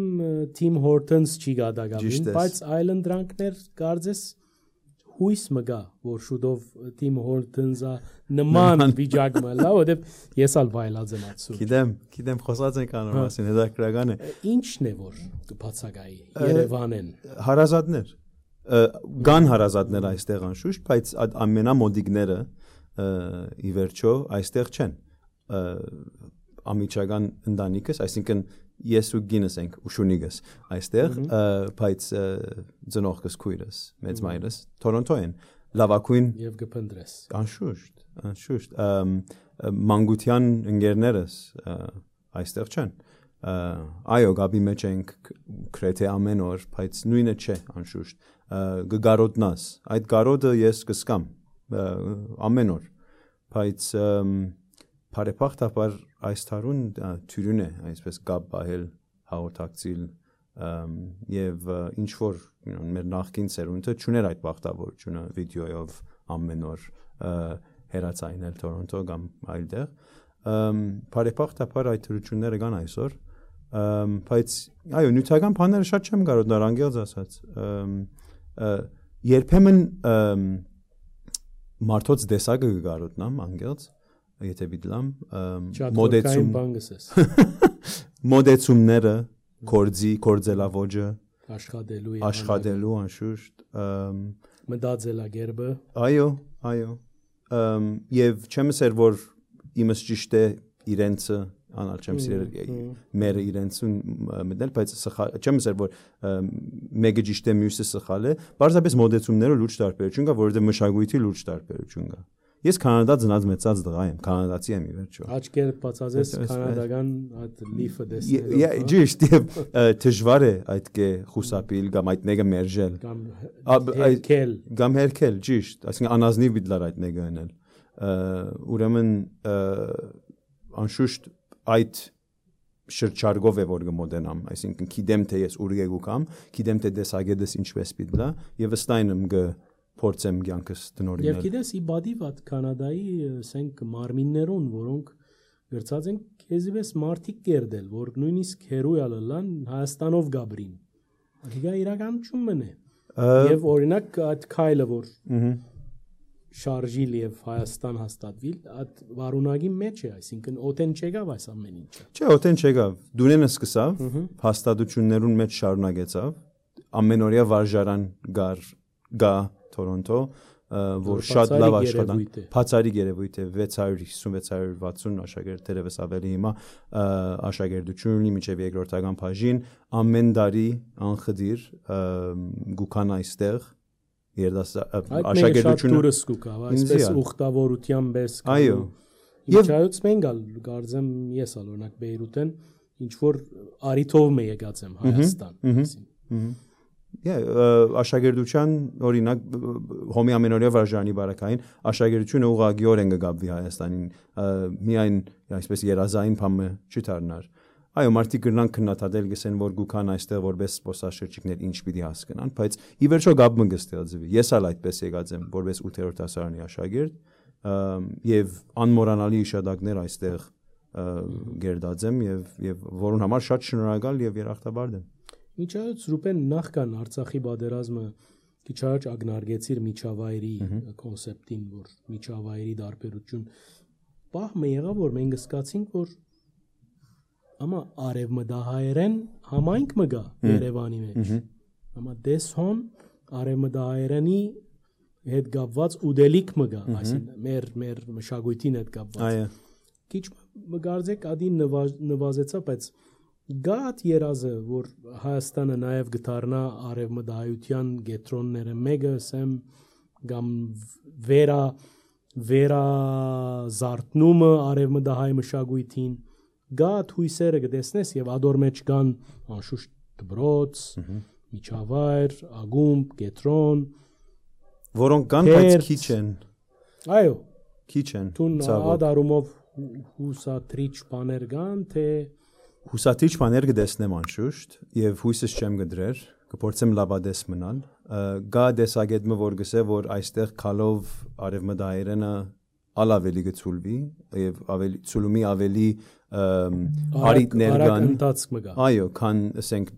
Speaker 2: Թիմ Հորտոնս չի գա դակամին, բայց այլն դրանքներ կարծես հույս մգա, որ շուտով Թիմ Հորտոնսը նման վիճակը լա, որտեվ ես ալ վայելած եմ ացու։
Speaker 1: Գիտեմ, խոսած ենք անոր մասին, հետաքրքրական է։
Speaker 2: Ինչն է որ կբացակայի Երևանեն։
Speaker 1: Հարազատներ։ Գան հարազատներ այստեղ անշուշտ, բայց ամենամոդիկները ի վերջո այստեղ չեն։ Ամիջական ընտանիքս, այսինքն ես ու գինս ենք ուշունիգս այստեղ, բայց ծնողքս քույրս, մեծ մայրս Թորոնտոյին լավակույն
Speaker 2: եւ գփնդրես։
Speaker 1: Անշուշտ, մանկության ընկերներս այստեղ չեն։ Այո, գաբի մեջ ենք քրեթե ամեն օր, բայց նույնը չէ, անշուշտ։ Գարոտնաս, այդ գարոդը ես կսկամ ամեն օր, բայց բարեբախտաբար այս տարուն թյուրին է, այսպես գաբ բահել հաղորդակցիլ եւ ինչ որ մեր նախկին սերունդը չուներ այդ բախտավորությունը վիդեոյով ամեն օր հերացայնել Թորոնտո կամ այլտեղ բարեբախտաբար այդ թրությունները կան այսօր բայց այո նյութական բաները շատ չեմ կարող դար անգելց ասած երբեմն մարդոց դեսակը գարոտնամ անգելց եթե բիդլամ մոդեցումները կորձելավոջը աշխատելու անշուշտ
Speaker 2: մտածելագերբը
Speaker 1: այո եւ չեմ ասել որ իմս ճիշտ է իրենցը անալ չեմ սիրել մերը իրենցուն մտնել բայց չեմ ասել որ մեկը ճիշտ է մյուսը սխալ է բարձրապես մոդեցումները լուրջ տարբերություն կա որովհետեւ մշակույթի լուրջ տարբերություն կա Ես Կանադա ծնած մեծած դղա եմ, կանադացի եմ ի վերջո։
Speaker 2: Աչքերը բացածես կանադական այդ լիֆը տեսնելով։
Speaker 1: Ճիշտ, դժվար է այդ կե խուսափիլ կամ այդ մեկը մերժել։ Կամ հերքել, ճիշտ, այսինքն անազնիվ բիդլար այդ մեկը անել։ Ուրեմն անշուշտ այդ շրջարգով է որ գմոդենամ, այսինքն գիտեմ թե ես ուր եկուկամ, գիտեմ թե դեսագեդս ինչպես պիտլա եւ ըստայն եմ փորձեմ կյանքս տնորինել։
Speaker 2: Եվ գիտես իբադի վատ Կանադայի ասենք մարմիններուն, որոնք գրծած են քեզիվես մարտիկ կերդել, որ նույնիսկ հերոյալ լան Հայաստանով գաբրին։ Դա իրականությունն է։ Եվ օրինակ այդ քայլը որ շարժիլ եւ Հայաստան հաստատվիլ, այդ վարունագի մեջ է, այսինքն օտեն չեկավ այս ամեն ինչը։
Speaker 1: Չէ, օտեն չեկավ։ Դունենը սկսավ, հաստատություններուն մեջ շարունակեցավ, ամենօրյա վարժարան գա Թորոնտո, որ շատ լավ աշխատանք, բացառիկ երևույթ է 650-660 աշակերտ թերևս ավելի հիմա աշակերտություն ունի մինչև երկրորդական բաժին, ամեն տարի անխդիր գուքան այստեղ
Speaker 2: աշակերտությունը դուրս կուկա, այսպես ուխտավորության պես։
Speaker 1: Այո։
Speaker 2: Եվ այդպես մենք ալ գարձեմ ես օրինակ Բեյրութեն ինչ որ արիթով մե եկած եմ Հայաստան։
Speaker 1: Աշակերտության օրինակ հոմի ամենօրյա վարժանի բարակային աշակերտությունը ուղղակիորեն են գաբվի Հայաստանին միայն այսպես երազային բամը չդառնար այո մարդիկ գրնան քննադատել գսեն որ գուքան այստեղ որպես սպոսաշրջիկներ ինչ պիտի հասկանան բայց ի վերջո գաբը կստեղծվի ես ալ այդպես եկած եմ որպես 8-րդ դասարանի աշակերտ եւ անմոռանալի իշադակներ այստեղ գերդած եմ եւ որուն համար շատ շնորհակալ եւ երախտաբար եմ
Speaker 2: Միջայց Ռուպեն նախքան Արցախի բادرազմը քիչ առաջ ագնարգեցիր միջավայրի կոնցեպտին, որ միջավայրի դարբերություն պահը եղավ, որ մենք սկացինք, որ ամա արևմտահայերեն համայնք մը գա Երևանի մեջ։ Ամա դեսհոն արևմտահայերենի հետ կապված ուդելիք մը գա, այսինքն մեր մշակույթին հետ կապված։ Այո։ Քիչ մգարձեք ադին նվազեցա, բայց Գատ երազը, որ Հայաստանը նաև գտարնա արևմտահայության գետրոնները մեկը, ասեմ, կամ վերա զարթնումը արևմտահայ մշակույթին, գատ հույսերը կտեսնես եւ ադոր մեջ կան անշուշտ դբրոց, միջավայր, ագումբ, գետրոն,
Speaker 1: որոնք կան, բայց քիչ են։
Speaker 2: Այո,
Speaker 1: քիչ են։
Speaker 2: Տուն ադարումով հուսատրիչ բաներ կան, թե
Speaker 1: Հուսատրիչ բաներ կտեսնեմ անշուշտ եւ հույսս չեմ գդրեր, կփորձեմ լավադես մնալ։ Գա դեսագետը որ գսե որ այստեղ քալով արևմտահայերենը ավելի գծուլվի եւ ավելի ցուլումի ավելի արիտներ կան։ Այո, քան ասենք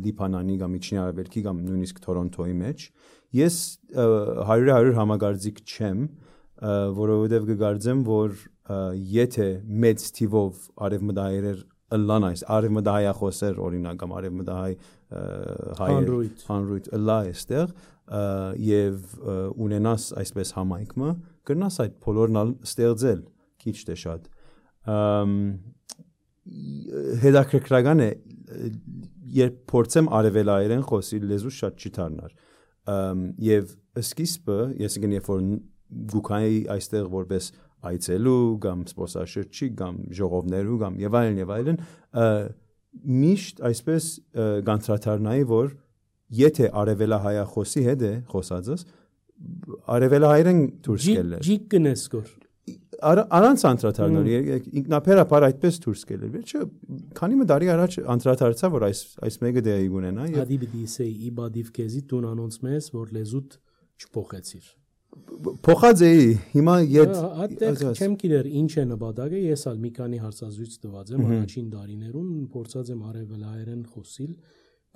Speaker 1: Լիբանանի կամ Միջին Արևելքի կամ նույնիսկ Թորոնտոյի մեջ։ Ես 100% համագարձիկ չեմ, որովհետեւ կգարձեմ որ եթե մեծ թիվով արևմտահայեր Լան այս արևմտահայախոսեր օրինակ կամ արևմտահայ հանրույթ լա էստեղ եւ ունենաս այսպես համայնքը կրնաս այդ բոլորն ստեղծել քիչ թե շատ հետաքրքրական է երբ փորձեմ արևելայերեն խոսել լեզու շատ չի դառնար եւ սկիզբը ես գնի որ գուքայի այստեղ որպես այցելու կամ սպոսաշրջիկ կամ ժողովներու կամ եւ այլն միշտ այսպես գանտրատարնայի որ եթե արևելահայախոսի հետ է խոսածս արևելահայերեն դուրս գելեր
Speaker 2: ջիկ կնեսկոր
Speaker 1: Արանց անդրադառնալ ինքնաբերաբար այդպես դուրս գելեր վերջը քանի մի տարի առաջ անդրադարձա որ այս մեկը դեպի ունենա եւ
Speaker 2: Ադի պիտի սեի իբադիվ քեզի տուն անոնց մեզ որ լեզուտ չփոխեցիր
Speaker 1: Փոխած էի հիմա
Speaker 2: այդտեղ չեմ գիտեր ինչ է նպատակը ես ալ մի քանի հարցազրույց տված եմ առաջին տարիներուն փորձած եմ արևելահայերեն խոսիլ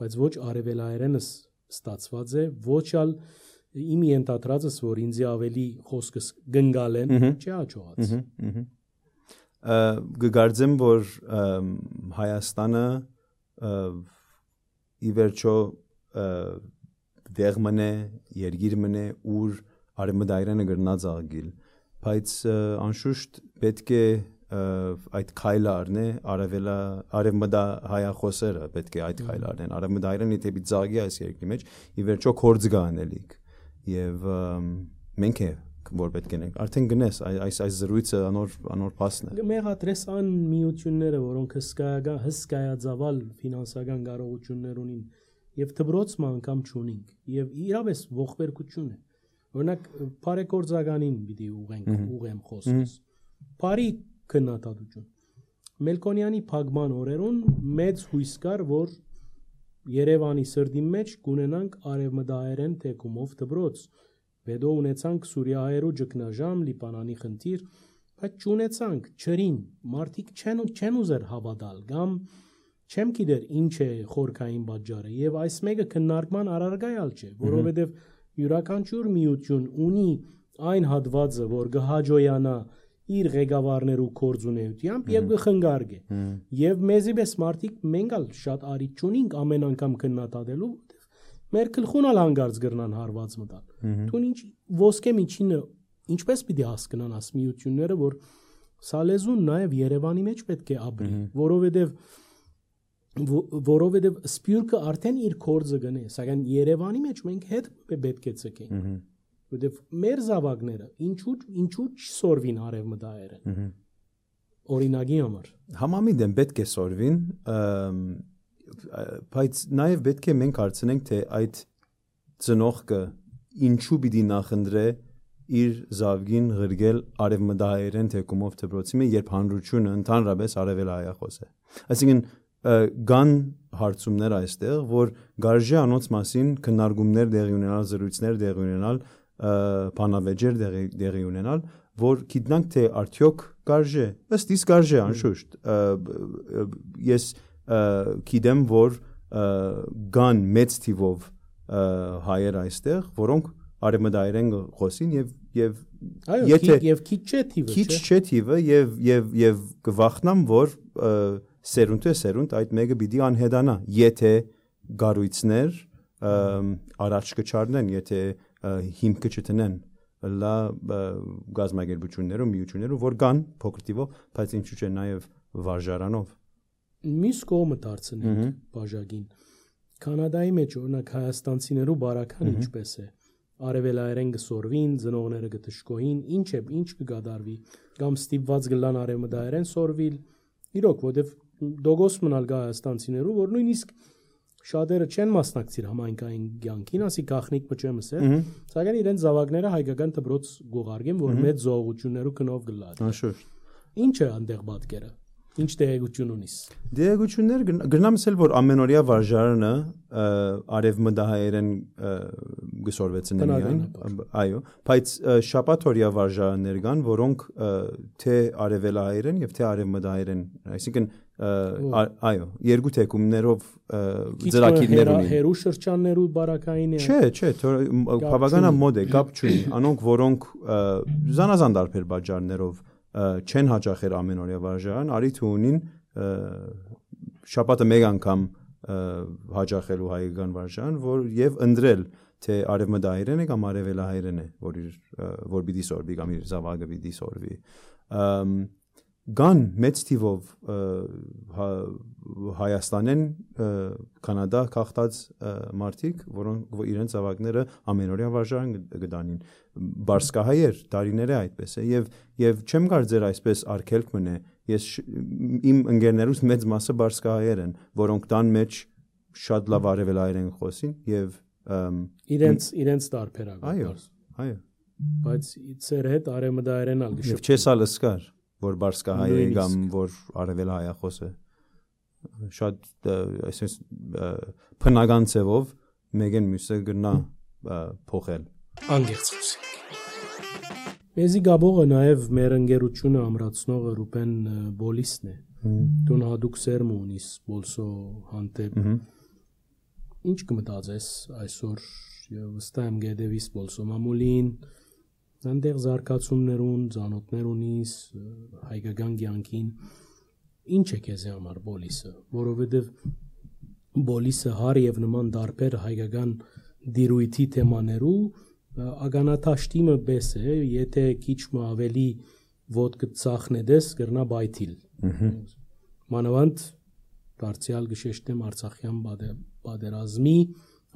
Speaker 2: բայց ոչ արևելահայերենս ստացված է ոչ ալ իմ ենթադրածս որ ինձ ավելի խոսքս գնգալ են չի հաջողած
Speaker 1: գգարձեմ որ Հայաստանը ի վերջո դեղ մնե երկիր մնե ուր արևմտահայերենը գրնած աղգիլ, բայց անշուշտ պետք է այդ քայլը առնե արևմտահայախոսերը պետք է այդ քայլը առնեն, արևմտահայերենը դեպի ծաղկի այս երկրի մեջ, ի վերջո կորձ գա անելիք, եւ մենք է որ պետք է նենք արդեն գնես այս զրույցը անոր փասն է
Speaker 2: մեղադրես ան միությունները որոնք հսկայածավալ ֆինանսական կարողություններ ունին եւ դբրոցը անգամ չունենք եւ իրավես ողբերգություն է օրինակ բարեգործականին պիտի ուղեմ խոսքս բարի քննադատություն Մելքոնյանի փակման օրերուն մեծ հույս կար որ Երևանի սրդի մեջ կունենանք արևմտահայերեն թեկումով դբրոց Վեդո ունեցանք Սուրիայերու ճգնաժամ Լիբանանի խնդիր բայց չունեցանք չրին մարդիկ չեն ուզեր հավատալ կամ չեմ գիտեր ինչ է խորքային պատճառը եւ այս մեկը քննարկման առարգայալ չէ որովհետեւ յուրաքանչյուր միություն ունի այն հատվածը որ գհաջոյանա իր ղեկավարներու կորձունեությամբ եւ գխնգարգե եւ մեզի պես մարդիկ մենքալ շատ արիտ չունենք ամեն անգամ քննադատելու մեր գլխունալ հանգարց գրնան հարված մտալ դու ինչ ոսկե միջինը ինչպես պիտի հասկանան աս միությունները որ սալեզուն նաեւ Երևանի մեջ պետք է ապրի որովհետեւ սպյուրքը արդեն իր կորձը գնե սակայն Երևանի մեջ մենք հետ պետք է ցկենք Որտեւ մեր զավակները ինչու չսորվին արևմտահայերեն օրինակի համար
Speaker 1: համամիտ են պետք է սորվին բայց նաև պետք է մենք հարցնենք թե այդ ծնողքը ինչու պիտի նախընտրե իր զավգին ղրգել արևմտահայերեն թեկումով դպրոցի մեջ երբ հանրությունը ընդհանրապես արևելահայախոս է այսինքն կան հարցումներ այստեղ որ գարժե անոնց մասին քննարկումներ դեղի ունենալ զրույցներ դեղի ունենալ բանավեճեր դեղի ունենալ, որ գիտնանք թե արդյոք կարժե, ըստ իս կարժե անշուշտ, ես գիտեմ, որ կան մեծ թիվով հայեր այստեղ, որոնք արևմտահայերեն խոսին եւ
Speaker 2: քիչ չէ թիվը,
Speaker 1: քիչ չէ թիվը եւ կվախնամ, որ սերունդ այդ մեկը պիտի անհետանա, եթե գառույցներ առաջ կչառնեն, եթե հիմքը չտնեն լա գազագերբություններում միություններում որ կան փոքր տիվով բայց ինչու՞ չէ նաև վարժարանով
Speaker 2: միս կողմը դարձնենք բաժակին կանադայի մեջ օրինակ հայաստանցիներու բարական ինչպես է արևելայերեն գսորվին ծնողները գտշկոին ինչ կգադարվի կամ ստիպված գլան արևմտահայերեն սորվիլ իրոք որովհետև դոգոս մնալ գա հայաստանցիներու որ նույնիսկ Շատերը չեն մասնակցիր համայնքային կյանքին, ասի գախնիկ մճեմս է, սակայն իրենց զավակները հայկական դպրոց գողարգեն, որ մեծ զողություններու կնով գլած։
Speaker 1: Անշուշտ։
Speaker 2: Ինչ է այնտեղ պատկերը։ Ինչ տեղեկություն ունիս։
Speaker 1: Տեղեկություններ գնամ ասել, որ ամենօրյա վարժարանը արևմտահայերեն գսորվեցին միայն, այո, բայց շաբաթօրյա վարժարաններ կան, որոնք թե արևելահայերեն եւ թե արևմտահայերեն, այսինքն այո, երկու թեկումներով ծրագիրներ ունին։
Speaker 2: Հերու շրջաններու բարակային է։
Speaker 1: Չէ, բավականին մոդ է, կապ չունի։ Անոնք, որոնք զանազան տարբեր պատճառներով չեն հաճախել ամենօրյա վարժարան, արիթ ունին շաբաթը մեկ անգամ հաճախելու հայկական վարժարան, որ եւ ընտրել թե արևմտահայերեն է կամ արևելահայերեն է, որ պիտի սորվի կամ իր զավակը պիտի սորվի։ Կան մեծ թիվով Հայաստանեն Կանադա քաղտած մարդիկ, որոնք իրենց զավակները ամենօրյա վարժարան գտանին, բարսկահայեր տարիները այդպես է եւ չեմ կարծեր այսպես արգելք մնե, ես իմ ընկերներուս մեծ մասը բարսկահայեր են, որոնք տան մեջ շատ լավ արևելահայերեն խոսին եւ
Speaker 2: իրենց տարբերակ։
Speaker 1: Այո։
Speaker 2: Բայց ծեր հետ արևմտահայերեն ալ գշփ։
Speaker 1: Չես ալսկար որ բարսկահայ է կամ որ արևելահայախոս է շատ այսպես փնական ծևով մեկեն մյուսը գնա փոխել
Speaker 2: անգերց խոսենք Մեզի գաբողը նաև մեր ընկերությունը ամրացնողը Ռուբեն Բոլիսն է դու հadouk սերմ ունիս բոլսո հանդեպ ինչ կմտածես այսօր եւ վստահ եմ գեդեվիս բոլսո մամուլին Այնտեղ զարգացումներուն, ծանոթներ ունիս, հայկական կյանքին, ինչ է քեզ համար Բոլիսը, որովհետև Բոլիսը հար եւ նման դարբեր հայկական դիրույթի թեմաներու ագանաթաշտիմը բես է, եթե քիչ ավելի ոդկը ծախնեդես գրնա բայթիլ։ Մանավանդ դարձյալ գշեշտեմ Արցախյան բادرազմի,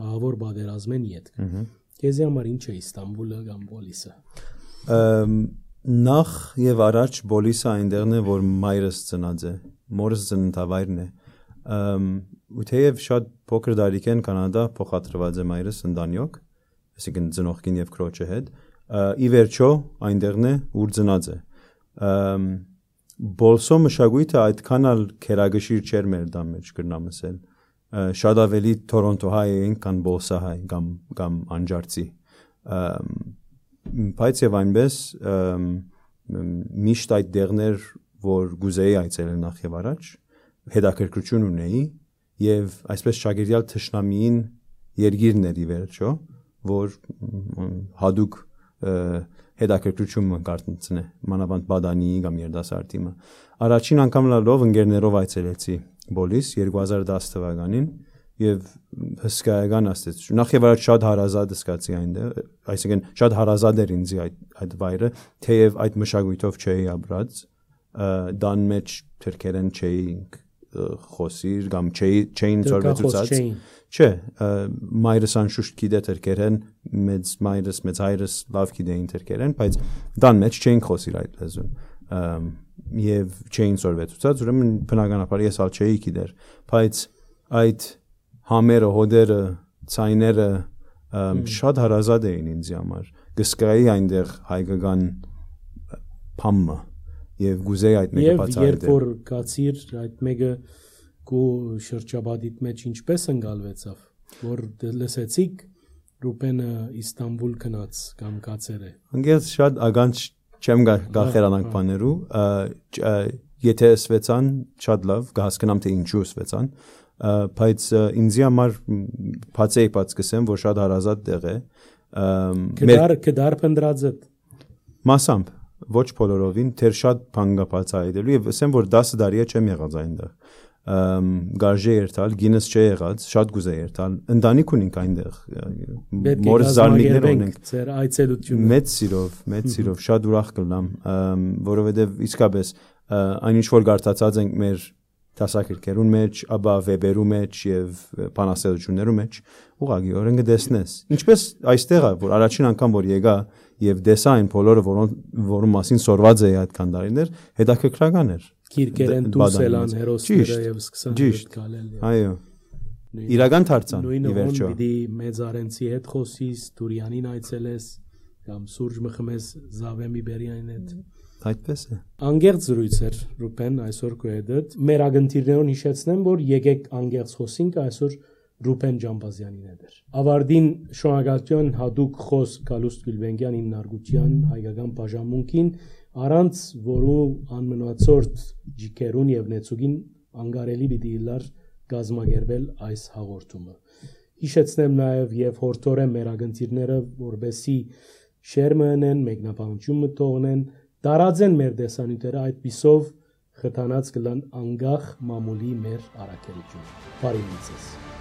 Speaker 2: ահավոր բادرազմեն յետք։ Քեզ համար ինչ է Իստանբուլը կամ Բոլիսը։
Speaker 1: Նախ եւ առաջ բոլիսը այնտեղն է, որ մայրս ծնած է, մորս ծննդավայրն է։ Ու թեև շատ փոքր տարիքեն Կանադա փոխադրված է մայրս ընտանյոք, այսինքն ծնողքին եւ քրոջը հետ, ի վերջո այնտեղն է, ուր ծնած է։ Բոլսո մշակույթը այդքան էլ քերագշիր չէր մեր դա մեջ կրնամ ասել։ Շատ ավելի Թորոնտոհայ էին, քան բոլսահայ կամ անջարցի։ Բայց եւ այնպես միշտ այդ դեղներ, որ գուզեի այցելել նախ եւ առաջ, հետաքրքրություն ունեի եւ այսպես շագիրյալ թշնամիին երգիրներ ի վերջո, որ հadouk հետաքրքրություն կարտնցնե, մանավանդ բադանի կամ երդասարտիմը։ Առաջին անգամ լավ ընկերներով այցելեցի Բոլիս 2010 թվականին եւ հսկայական աստեցություն։ Նախ եւ առաջ շատ հարազատ զգացի այնտեղ, այսինքն շատ հարազատ էր ինձ այդ վայրը, թեև այդ մշակույթով չէի ապրած, դան մեջ թրքերեն չէի խոսիր կամ չէին ծորվեցուցած։ Չէ, մայրս անշուշտ գիտե թրքերեն, մեծ մայրս, մեծ հայրս լավ գիտեին թրքերեն, բայց դան մեջ չէին խոսիր այդ լեզուն։ Եվ չէին ծորվեցուցած, ուրեմն բնականաբար ես ալ չէի գիտեր, բայց այդ համերը, հոդերը, ցայները շատ հարազատ էին ինձ համար։ Գսկայի այնտեղ հայկական փամը եւ գուզեի այդ մեկը բացահայտել։ Եվ երբ որ
Speaker 2: կացիր այդ մեկը կու շրջաբադիտ մեջ ինչպես ընկալվեցավ, որ լսեցիք Ռուպենը Իստանբուլ գնաց կամ կացեր է։
Speaker 1: Անգեզ շատ ագանց չեմ գախերանանք բաներու, եթե սվեցան շատ լավ, կհասկանամ թե ինչու սվեցան, բայց ինձի համար բացեի բաց կսեմ, որ շատ հարազատ տեղ է։
Speaker 2: Կդար փնդրածդ։
Speaker 1: Մասամբ ոչ բոլորովին, թեր շատ բան կա բացահայտելու եւ ասեմ, որ 10 տարի չեմ եղած այնտեղ։ Գարժե երթալ, գինս չէ եղած, շատ գուզե երթալ, ընտանիք ունենք այնտեղ, մորս զարմիկներ ունենք,
Speaker 2: ձեր այցելությունը
Speaker 1: մեծ սիրով, շատ ուրախ կլամ, որովհետև իսկապես այն ինչ որ գարտացած ենք մեր դասակերկերուն մեջ, ապա վեբերու մեջ եւ բանասերություններու մեջ, ուղղակիորեն կտեսնես։ Ինչպես այստեղ է, որ առաջին անգամ որ եկա եւ դեսա այն բոլորը, որոնց մասին սորված էի այդ քանդարիներ, հետաքրքրական էր։
Speaker 2: Քիրկերեն դուսելան հերոսները եւ սկսան գալել։
Speaker 1: Այո։ Իրական դարձան ի վերջո։
Speaker 2: Պիտի մեծ արենցի հետ խոսիս, Տուրյանին այցելես կամ Սուրջ մխմես Զավեմի Բերյանին հետ։
Speaker 1: Այդպես է։
Speaker 2: Անգերց զրույց էր Ռուպեն այսօր քո հետ։ Մեր ագընթիրներուն հիշեցնեմ, որ եկեք անգերց խոսենք այսօր Ռուպեն Ջամբազյանին հետ։ Ավարտին շնորհակալություն հadouk խոս Գալուստ Գյուլբենկյան իննարգության հայկական բաժանմունքին, առանց որու անմնացորդ ջիկերուն եւ նեցուգին անգարելի պիտի լար գազմագերվել այս հաղորդումը։ Հիշեցնեմ նաեւ եւ հորթորեմ մեր ագընթիրները, որբեսի շերմենեն, մեկնաբանություն մտողնեն, տարածեն մեր դեսանյութերը, այդ պիսով խթանած կլան անգախ մամուլի մեր առաքելությունը։ Բարի լույս։